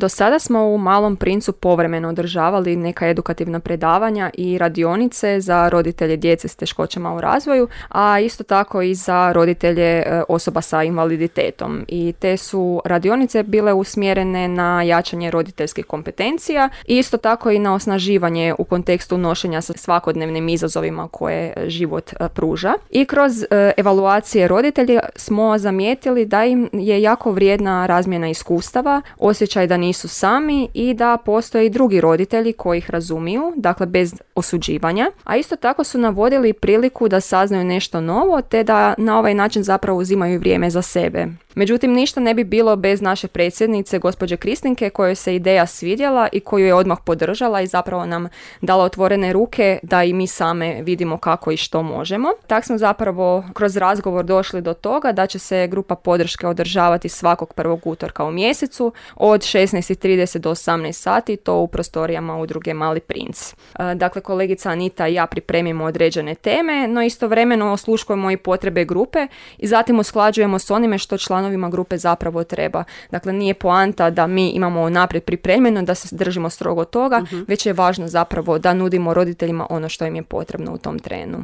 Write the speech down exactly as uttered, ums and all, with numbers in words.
Do sada smo u Malom princu povremeno održavali neka edukativna predavanja i radionice za roditelje djece s teškoćama u razvoju, a isto tako i za roditelje osoba sa invaliditetom. I te su radionice bile usmjerene na jačanje roditeljskih kompetencija i isto tako i na osnaživanje u kontekstu nošenja sa svakodnevnim izazovima koje život pruža. I kroz evaluacije roditelja smo zamijetili da im je jako vrijedna razmjena iskustava, osjećaj da nisu sami i da postoje i drugi roditelji koji ih razumiju, dakle bez osuđivanja, a isto tako su navodili priliku da saznaju nešto novo te da na ovaj način zapravo uzimaju vrijeme za sebe. Međutim, ništa ne bi bilo bez naše predsjednice, gospođe Kristinke, kojoj se ideja svidjela i koju je odmah podržala i zapravo nam dala otvorene ruke da i mi same vidimo kako i što možemo. Tak smo zapravo kroz razgovor došli do toga da će se grupa podrške održavati svakog prvog utorka u mjesecu od šesnaest i trideset do osamnaest sati, to u prostorijama udruge Mali princ. Dakle, kolegica Anita i ja pripremimo određene teme, no istovremeno osluškujemo i potrebe grupe i zatim usklađujemo s onime što članovi grupe zapravo treba. Dakle, nije poanta da mi imamo naprijed pripremljeno, da se držimo strogo toga, uh-huh. već je važno zapravo da nudimo roditeljima ono što im je potrebno u tom trenu.